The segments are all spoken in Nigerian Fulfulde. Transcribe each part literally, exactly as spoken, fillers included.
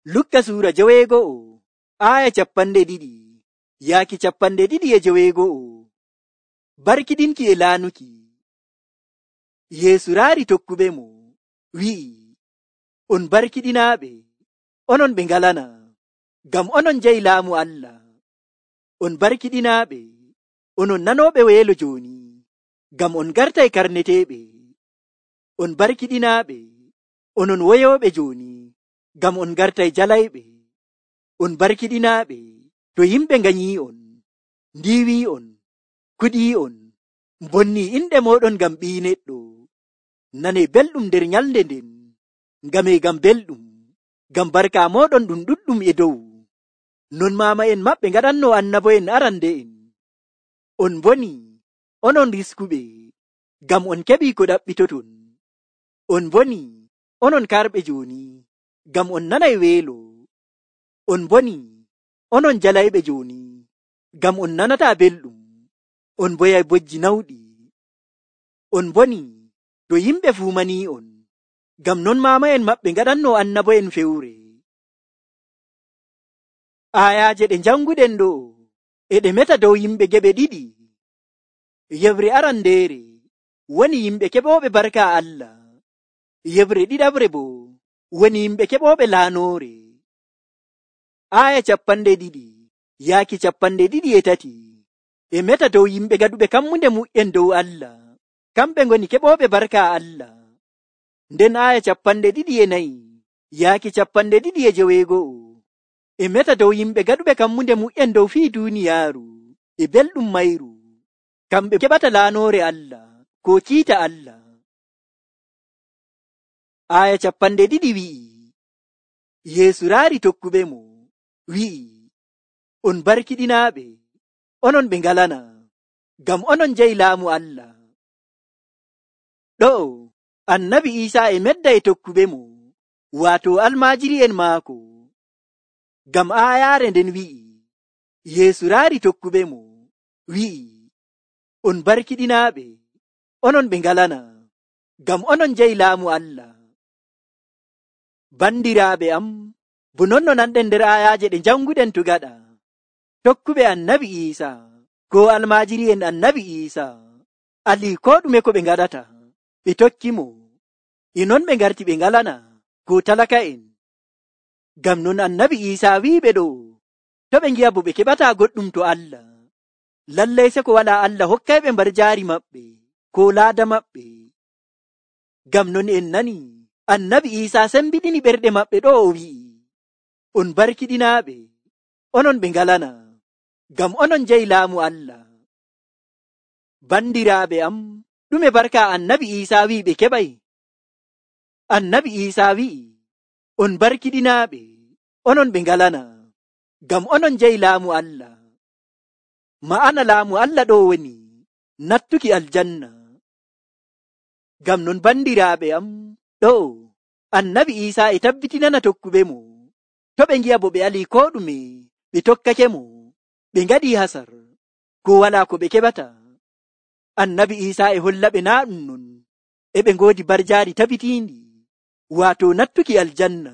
Lukka suura joweego'o aya cappanɗe ɗiɗi yaaki cappanɗe ɗiɗi e joweego'o. Barkiɗinki e laanuki. Yeesu raari tokkuɓe mo wi'i, on barkiɗinaaɓe, onon ɓe ngalana, ngam onon njahi laamu Allah. On barkiɗinaaɓe, onon nanooɓe weelo jooni, ngam on gartay karneteeɓe. On barkiɗinaaɓe, onon woyooɓe jooni, ngam on gartay jalayɓe. On barkiɗinaaɓe, to yimɓe nganyii'on, ndiiwii'on, kuɗii'on, mbonnii inɗe mooɗon ngam Ɓii Neɗɗo. Nanee belɗum nder nyalnde nden, ngamee ngam belɗum, ngam barka mooɗon ɗum ɗuɗɗum e dow. Non maama'en maɓɓe ngaɗannoo annabo'en arande'en. On mbonii, onon riskuɓe, ngam on keɓii ko ɗaɓɓitoton. On mbonii, onon karɓe jooni, ngam on nanay weelo. On mbonii, onon jalayɓe jooni, ngam on nanataa belɗum. On mboyay bojji nawɗi. On mbonii, to yimɓe fuumanii'on, ngam non maama'en maɓɓe ngaɗannoo annabo'en fewre. Aayaaje ɗe njannguɗen ɗo e ɗe meta dow yimɓe geɓe ɗiɗi. Yeɓre arandeere woni yimɓe keɓooɓe barka Allah. Yeɓre ɗiɗaɓre boo woni yimɓe keɓooɓe laanoore. Aaya cappanɗe ɗiɗi yaaki cappanɗe ɗiɗi e tati e meta dow yimɓe gaɗuɓe kammunde mu'en dow Allah, kamɓe ngoni keɓooɓe barka Allah. Nden aaya cappanɗe ɗiɗi e nayi yaaki cappanɗe ɗiɗi e joweego'o e meta dow yimɓe gaɗuɓe kammunde mu'en dow fii duuniyaaru e belɗum mayru, kamɓe keɓata laanoore Allah ko kiita Allah. Aaya cappanɗe ɗiɗi wi'i, Yeesu raari tokkuɓe mo wi'i, on barkiɗinaaɓe, onon ɓe ngalana, ngam onon njahi laamu Allah. Ɗo'o annabi Iisaa e medda e tokkuɓe mo, waato almaajiri'en maako. Ngam aayaare nden wi'i, Yeesu raari tokkuɓe mo wi'i, on barkiɗinaaɓe, onon ɓe ngalana, ngam onon njahi laamu Allah. Bandiraaɓe am, bo non no nanɗen nder aayaaje ɗe njannguɗen to gaɗa. Tokkuɓe annabi Iisaa ko almaajiri'en annabi Iisaa alii koo ɗume ko ɓe ngaɗata, ɓe tokki mo. E non ɓe ngarti ɓe ngalana ko talaka'en. Ngam non annabi Iisaa wi'iɓe ɗo, to ɓe ngi'a bo ɓe keɓataa goɗɗum to Allah, lallay seko walaa Allah hokkayɓe mbar jaari maɓɓe ko laada maɓɓe. Ngam non en nanii annabi Iisaa sembiɗini ɓerɗe maɓɓe ɗo o wi'i, on barkiɗinaaɓe, onon ɓe ngalana, ngam onon njahi laamu Allah. Bandiraaɓe am, ɗume barka annabi Iisaa wi'i ɓe keɓay? Annabi Iisaa wi'i, on barkiɗinaaɓe, onon ɓe ngalana, ngam onon njahi laamu Allah. Ma'ana laamu Allah ɗo woni nattuki aljanna. Ngam non bandiraaɓe am, ɗo annabi Iisaa e tabbitinana tokkuɓe mo, to ɓe ngi'a bo ɓe alii koo ɗume ɓe tokkake mo, ɓe ngaɗii hasar ko walaa ko ɓe keɓata. Annabi Iisaa e holla ɓe naa ɗum non, e ɓe ngoodi barjaari tabitiindi, waato nattuki aljanna.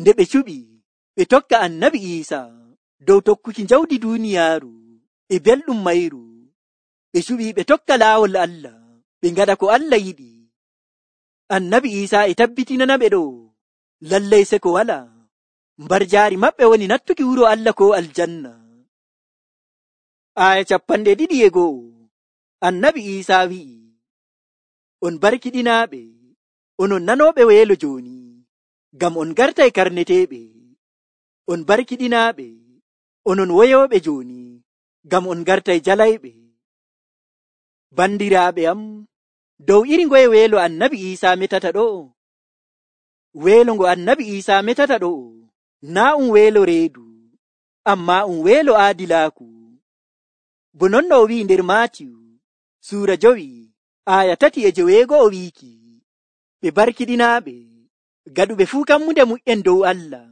Nde ɓe cuɓi ɓe tokka annabi Iisaa dow tokkuki njawdi duuniyaaru e belɗum mayru, ɓe cuɓi ɓe tokka laawol Allah, ɓe ngaɗa ko Allah yiɗi. Annabi Iisaa e tabbitinana ɓe ɗo, lallay seko walaa, mbarjaari maɓɓe woni nattuki wuro Allah ko aljanna. Aaya cappanɗe ɗiɗi e go'o annabi Iisaa wi'i, on barkiɗinaaɓe, onon nanooɓe weelo jooni, ngam on gartay karneteeɓe. On barkiɗinaaɓe, onon woyooɓe jooni, ngam on gartay jalayɓe. Bandiraaɓe am, dow iri ngoye weelo annabi Iisaa metata ɗo? Weelo ngo annabi Iisaa metata ɗo naa um weelo reedu, ammaa um weelo aadilaaku. Bo non no o wi'i nder Maatiyu suura jowi aaya tati e joweego'o wiiki, ɓe barkiɗinaaɓe, gaɗuɓe fuu kammunde mu'en dow Allah,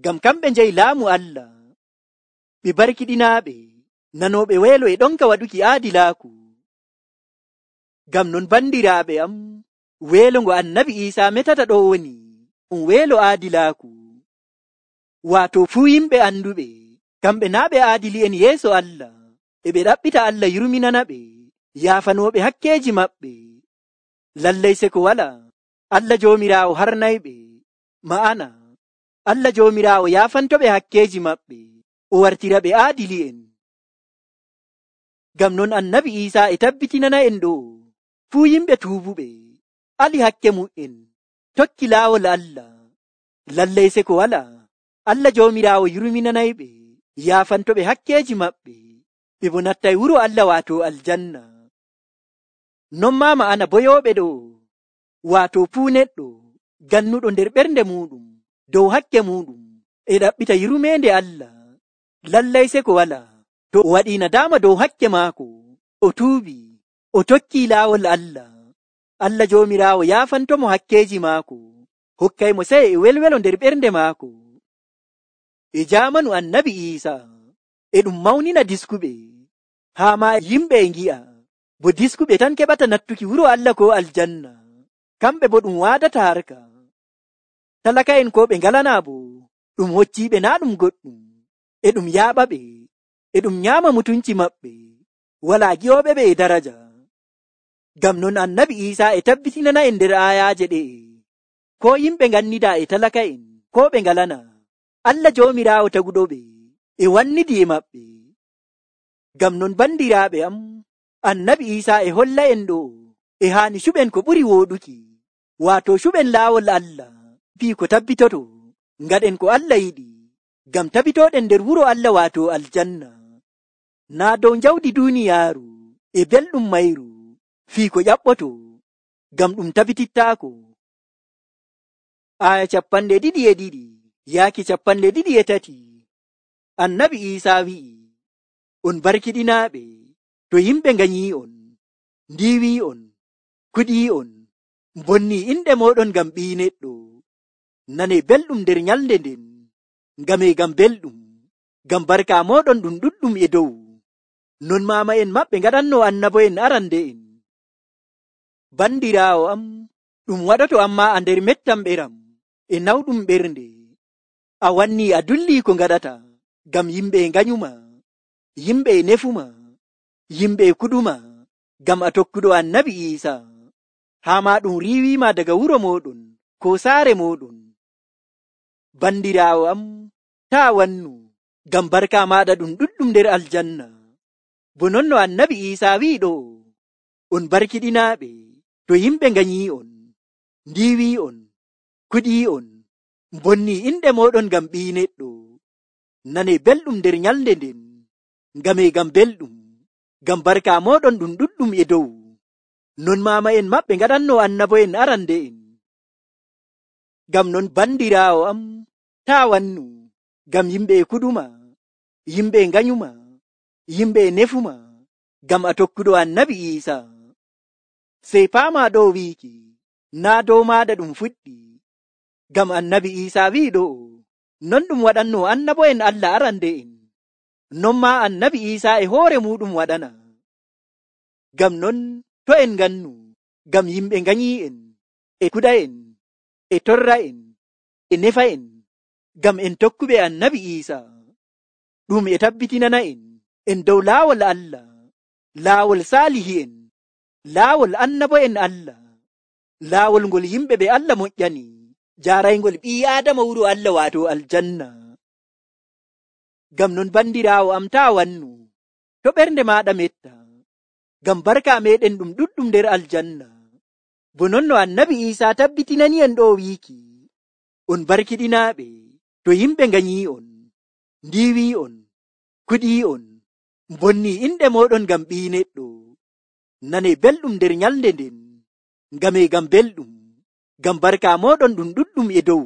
ngam kamɓe njahi laamu Allah. Ɓe barkiɗinaaɓe, nanooɓe weelo e ɗonka waɗuki aadilaaku. Ngam non bandiraaɓe am, weelo ngo annabi Iisaa metata ɗo woni um weelo aadilaaku. Waato fuu yimɓe anduɓe kamɓe naa ɓe aadili'en yeeso Allah, e ɓe ɗaɓɓita Allah yurminana ɓe yaafanooɓe hakkeeji maɓɓe. Lallay se ko wala Allah Joomiraawo harnayɓe, ma'ana Allah Joomiraawo yaafantoɓe hakkeeji maɓɓe, o wartira ɓe aadili'en. Ngam non Annabi Iisaa e tabbitinana en ɗo fuu yimɓe tuubuɓe ali hakke mu'en tokki laawol Allah, lallay se ko wala Allah Joomiraawo yurminanayɓe yaafantoɓe hakkeeji maɓɓe, ɓe bo nattay wuro Allah waato aljanna. Non maa ma'ana boyooɓe ɗo waato fuu neɗɗo gannuɗo nder ɓernde muɗum dow hakke muɗum e ɗaɓɓita yurmeende Allah, lallay se ko wala to o waɗii nadaama dow hakke maako, o tuubi, o tokkii laawol Allah, Allah Joomiraawo yaafantomo hakkeeji maako, hokkaymo sey e welwelo nder ɓernde maako. E jaamanu Annabi Iisaa e ɗum mawnina diskuɓe, haa ma yimɓe e ngi'a bo diskuɓe tan keɓata nattuki wuro Allah ko aljanna, kamɓe bo ɗum waadata harka. Talaka'en ko ɓe ngalanaa bo ɗum hocciiɓe naa ɗum goɗɗum, e ɗum yaaɓaɓe, e ɗum nyaama mutunci maɓɓe, walaa gi'ooɓe ɓe e daraja. Ngam non Annabi Iisaa e tabbitinana en nder aayaaje ɗe'e, ko yimɓe ngannidaa e talaka'en ko ɓe ngalanaa, Allah Joomiraawo taguɗoɓe e wannidi e maɓɓe. Ngam non bandiraaɓe am, Annabi Iisaa e holla en ɗo e haani cuɓen ko ɓuri wooɗuki, waato cuɓen laawol Allah fii ko tabbitoto, ngaɗen ko Allah yiɗi, ngam tabbitoɗen nder wuro Allah waato aljanna, naa dow jawdi duuniyaaru e belɗum mayru fii ko ƴaɓɓoto, ngam ɗum tabbitittaako. Aya capanɗe ɗiɗi e ɗiɗi yaaki capanɗe ɗiɗi e tati. Annabi Iisaa wi'i, on barkiɗinaaɓe to yimɓe nganyii'on, ndiiwii'on, kuɗii'on, mbonnii inɗe mooɗon ngam Ɓii Neɗɗo, nanee belɗum nder nyalnde nden, ngamee ngam belɗum, ngam barka mooɗon ɗum ɗuɗɗum e dow, non maama'en maɓɓe ngaɗannoo annabo'en arande'en. Bandiraawo am, ɗum waɗoto ammaa a nder mettam ɓeram e nawɗum ɓernde, a wannii a dullii ko ngaɗata, ngam yimɓe nganyuma, yimɓe nefuma, yimɓe kuɗuma, ngam a tokkuɗo Annabi Iisaa, haa ma ɗum riiwiima daga wuro mooɗon ko saare mooɗon. Bandiraawo am, taa wannu, ngam barka maaɗa ɗum ɗuɗɗum nder aljanna, bo non no Annabi Iisaa wi'i ɗo, on barkiɗinaaɓe to yimɓe nganyii'on, ndiiwii'on, kuɗii'on, mbonnii inɗe mooɗon ngam Ɓii Neɗɗo, nanee belɗum nder nyalnde nden, ngamee ngam belɗum, ngam barka mooɗon ɗum ɗuɗɗum e dow, non maama'en maɓɓe ngaɗannoo annabo'en arande'en. Ngam non bandiraawo am, taa wannu, ngam yimɓe kuɗuma, yimɓe nganyuma, yimɓe nefuma, ngam a tokkuɗo Annabi Iisaa. Sey paamaa ɗo wiiki, naa dow maaɗa ɗum fuɗɗi, ngam Annabi Iisaa wi'i ɗo, non ɗum waɗannoo annabo'en Allah arande'en, non maa Annabi Iisaa e hoore muɗum waɗana. Ngam non to en ngannu, ngam yimɓe nganyii'en, e kuɗa'en, e torra'en, e nefa'en, ngam en tokkuɓe Annabi Iisaa, ɗum e tabbitinana en en dow laawol Allah, laawol saalihi'en, laawol annabo'en Allah, laawol ngol yimɓe ɓe Allah moƴƴani, jaaraygol ɓii Aadama wuro Allah waato aljanna. Ngam non bandiraawo am, taa wannu, to ɓernde maaɗa metta, ngam barka meɗen ɗum ɗuɗɗum nder aljanna, bo non no Annabi Iisaa tabbitinani en ɗo wiiki, on barkiɗinaaɓe to yimɓe nganyii'on, ndiiwii'on, kuɗii'on, mbonnii inɗe mooɗon ngam Ɓii Neɗɗo, nanee belɗum nder nyalnde nden, ngamee ngam belɗum, ngam barka mooɗon ɗum ɗuɗɗum e dow,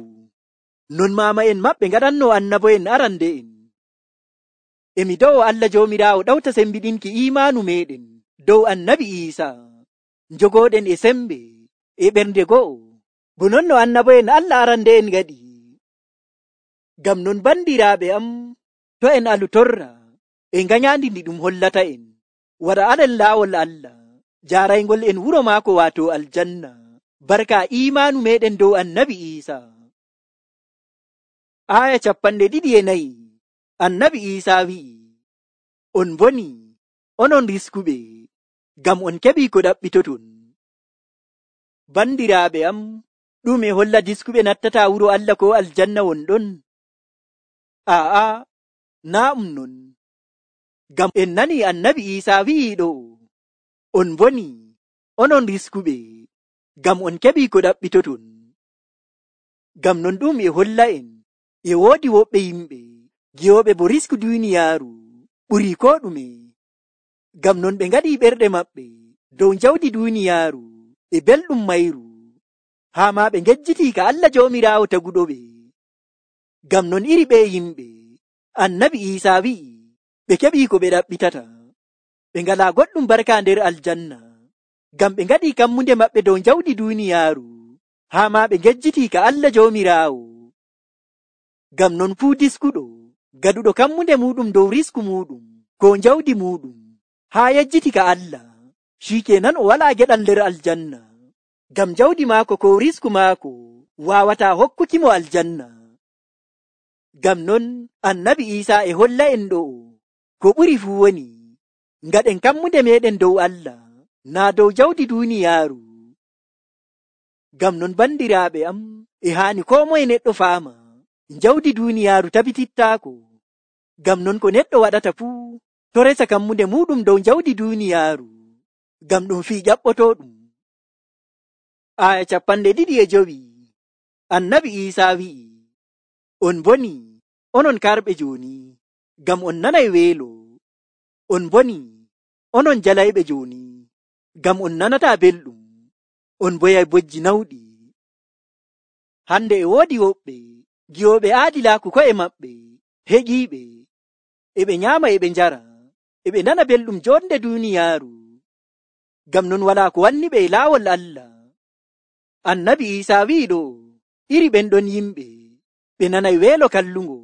non maama'en maɓɓe ngaɗannoo annabo'en arande'en. Emi do'o Allah Joomiraawo ɗawta sembiɗinki iimaanu meɗen dow Annabi Iisaa, njogooɗen e sembe e ɓernde go'o, bo non no annabo'en Allah arande'en ngaɗi. Ngam non bandiraaɓe am, to en alu torra e nganyaandi ndi ɗum hollata en, wara alen laawol Allah, jaaraygol en wuro maako waato aljanna, barka iimaanu meɗen dow Annabi Iisaa. aya capanɗe ɗiɗi e nayi annabi Iisaa wi'i, on boni onon riskuɓe, ngam on keɓi ko ɗaɓɓitoton. Bandiraaɓe am, ɗum e holla diskuɓe nattata wuro Allah ko aljanna wonɗon? Aa, naa um non. Ngam en nani annabi Iisaa wi'i ɗo, on boni onon riskuɓe, ngam on keɓi ko ɗaɓɓitoton. Ngam non ɗum e holla en e woodi woɓɓe yimɓe giyoɓe bo risku duniyaaru ɓuri ko ɗume. Ngam non ɓe ngaɗi ɓerɗe maɓɓe dow jawdi duniyaaru e belɗum mayru, haa ma ɓe ngejjiti ka Allah Joomiraawo taguɗoɓe. Ngam non iri ɓe yimɓe annabi Iisaa wi'i ɓe keɓi ko ɓe ɗaɓɓitata, ɓe ngalaa goɗɗum barka nder aljanna, ngam ɓe ngaɗi kammunde maɓɓe dow jawdi duniyaaru, haa ma ɓe ngejjiti ka Allah Joomiraawo. Ngam non fuu diskuɗo gaduɗo kammunde muɗum dow risku muɗum ko jawdi muɗum haa yejjiti ka Allah, shikenan o walaa geɗal nder aljanna, ngam jawdi maako ko risku maako waawata hokkukimo aljanna. Ngam non annabi Iisaa e holla en ɗo ko ɓuri fuu woni ngaɗen kammunde meɗen dow Allah, naa dow jawdi duniyaaru. Ngam non bandiraaɓe am, e haani ko moye neɗɗo faama jawdi duniyaaru tabitittaako. Ngam non ko neɗɗo waɗata fuu to resa kammunde muɗum dow jawdi duniyaaru, ngam ɗum fii ƴaɓɓotooɗum. Aya capanɗe ɗiɗi e jowi annabi Iisaa wi'i, on boni onon karɓe jooni, ngam on nanay weelo. On boni onon jalayɓe jooni, ngam on nanata belɗum. On boyay bojji nawɗi. Hande e woodi woɓɓe giyoɓe aadilaaku ko'e maɓɓe heƴiiɓe, e ɓe nyaama e ɓe njara, e ɓe nana belɗum jonde duniyaaru, ngam non walaa ko wanni ɓe e laawol Allah. Annabi Iisaa wi'i ɗo, iri ɓen ɗon yimɓe ɓe nanay weelo kallungo,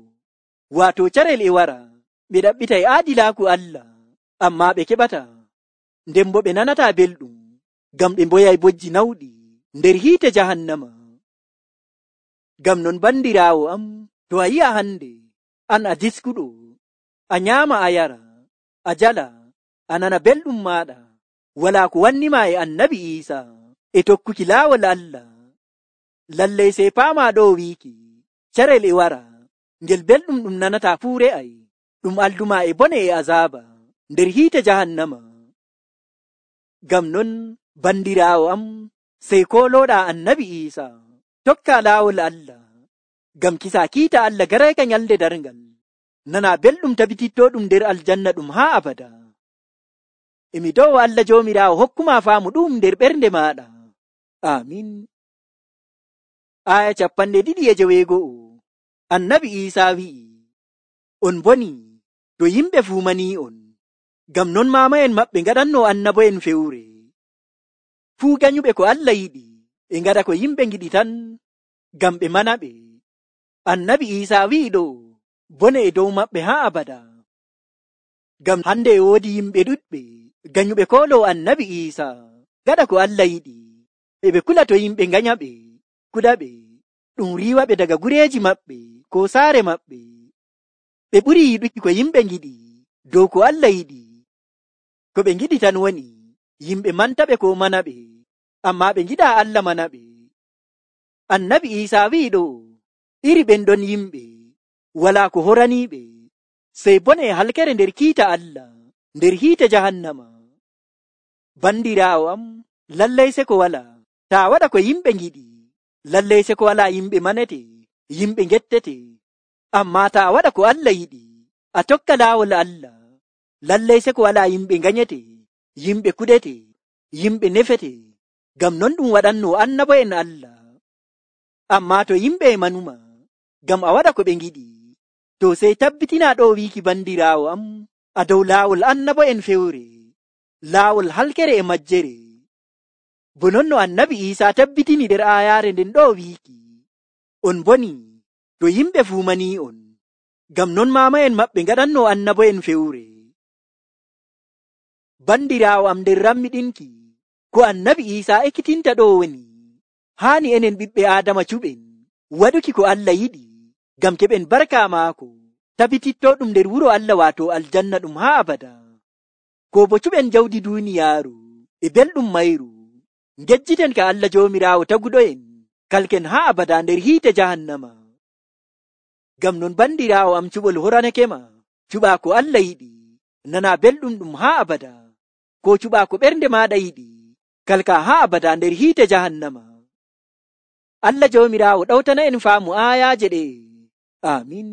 waato carel e wara ɓe ɗaɓɓitay aadilaaku Allah, ammaa ɓe keɓata, nden bo ɓe nanata belɗum, ngam ɓe mboyay bojji nawɗi nder hiite jahannama. Ngam non bandiraawo am, to a yi'a hande an a diskuɗo, a nyaama a yara, a jala, a nana belɗum maaɗa, walaa ko wannima e annabi Iisaa e tokkuki laawol Allah, lallay sey paama ɗo wiiki carel e wara ngel belɗum ɗum nanata fuu re'ay, ɗum alduma e bone e azaaba nder hiite jahannama. Ngam non bandiraawo am, sey kolooɗa annabi Iisaa tokka laawol Allah, ngam kisa kiita Allah garayka nyalde darngal, nana belɗum tabitittoɗum nder aljanna ɗum haa abada. Emi dow Allah Joomiraawo hokkuma faamu ɗum nder ɓernde maaɗa. Amin. Aya capanɗe ɗiɗi e joweego'o annabi Iisaa wi'i, on boni to yimɓe fuumanii on, ngam non maama'en maɓɓe ngaɗanno annabo'en fewre. Fuu ganyuɓe ko Allah yiɗi e ngaɗa ko yimɓe ngiɗi tan, ngam ɓe mana ɓe. Annabi Iisaa wi'i ɗo, bone e dow maɓɓe haa abada. Ngam hande e woodi yimɓe ɗuɗɓe ganyuɓe koolo annabi Iisaa ngaɗa ko Allah yiɗi, e ɓe kula to yimɓe nganya ɓe, kuɗa ɓe, ɗum riiwa ɓe daga gureeji maɓɓe ko saare maɓɓe. Ɓe ɓuri yiɗuki ko yimɓe ngiɗi dow ko Allah yiɗi. Ko ɓe ngiɗi tan woni yimɓe manta ɓe ko mana ɓe, amma ɓe ngiɗa Allah mana ɓe. Annabi Iisaa wi'i ɗo, iri ɓen ɗon yimɓe walaa ko horaniiɓe sey bone e halkere nder kiita Allah nder hiite jahannama. Bandiraawo am, lallay se ko walaa taa waɗa ko yimɓe ngiɗi, lallay se ko walaa yimɓe manete, yimɓe ngettete, amma taa waɗa ko Allah yiɗi, a tokka laawol Allah, lallay se ko walaa yimɓe nganyete, yimɓe kuɗete, yimɓe nefete, ngam non ɗum waɗanno annabo'en Allah. Amma to yimɓe manuma ngam a waɗa ko ɓe ngiɗi, to sey tabbitina ɗo wiiki bandiraawo am, a dow laawol annabo'en fewre, laawol halkere e majjere. Bo non no annabi Iisaa tabbitini nder aayaare nden ɗo wiiki, on boni to yimɓe fuumanii on, ngam non maama'en maɓɓe ngaɗanno annabo'en fewre. Bandiraawo am, nder rammiɗinki ko annabi Iisaa ekkitinta ɗo woni, haani enen ɓiɓɓe Aadama cuɓen waɗuki ko Allah yiɗi, ngam keɓen barka maako tabititto ɗum nder wuro Allah waato aljanna ɗum haa abada. Ko bo cuɓen jawdi duuniyaaru e belɗum mayru, ngejjiten ka Allah Joomiraawo taguɗo'en kalken haa abada nder hiite jahannama. Ngam non bandiraawo am cuɓol horanake ma, cuɓaa ko Allah yiɗi, nana belɗum ɗum haa abada, ko cuɓaa ko ɓernde maaɗa yiɗi, kalka haa abada nder hiite jahannama. Allah Joomiraawo ɗawtana en faamu aayaaje ɗe. Amin.